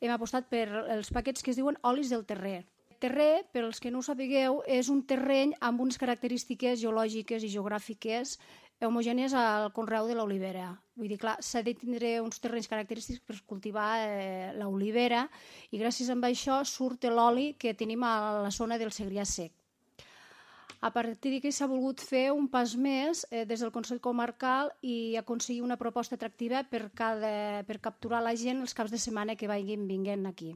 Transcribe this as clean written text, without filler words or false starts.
hem apostat per els paquets que es diuen olis del terrer. Terrer, per als que no ho sapigueu, és un terreny amb unes característiques geològiques i geogràfiques homogènies al conreu de l'olivera. Vull dir, clar, s'ha de tindre uns terrenys característics per cultivar l'olivera i gràcies a això surt l'oli que tenim a la zona del Segrià sec. A partir d'aquí s'ha volgut fer un pas més des del Consell Comarcal i aconseguir una proposta atractiva per capturar la gent els caps de setmana que vinguin aquí.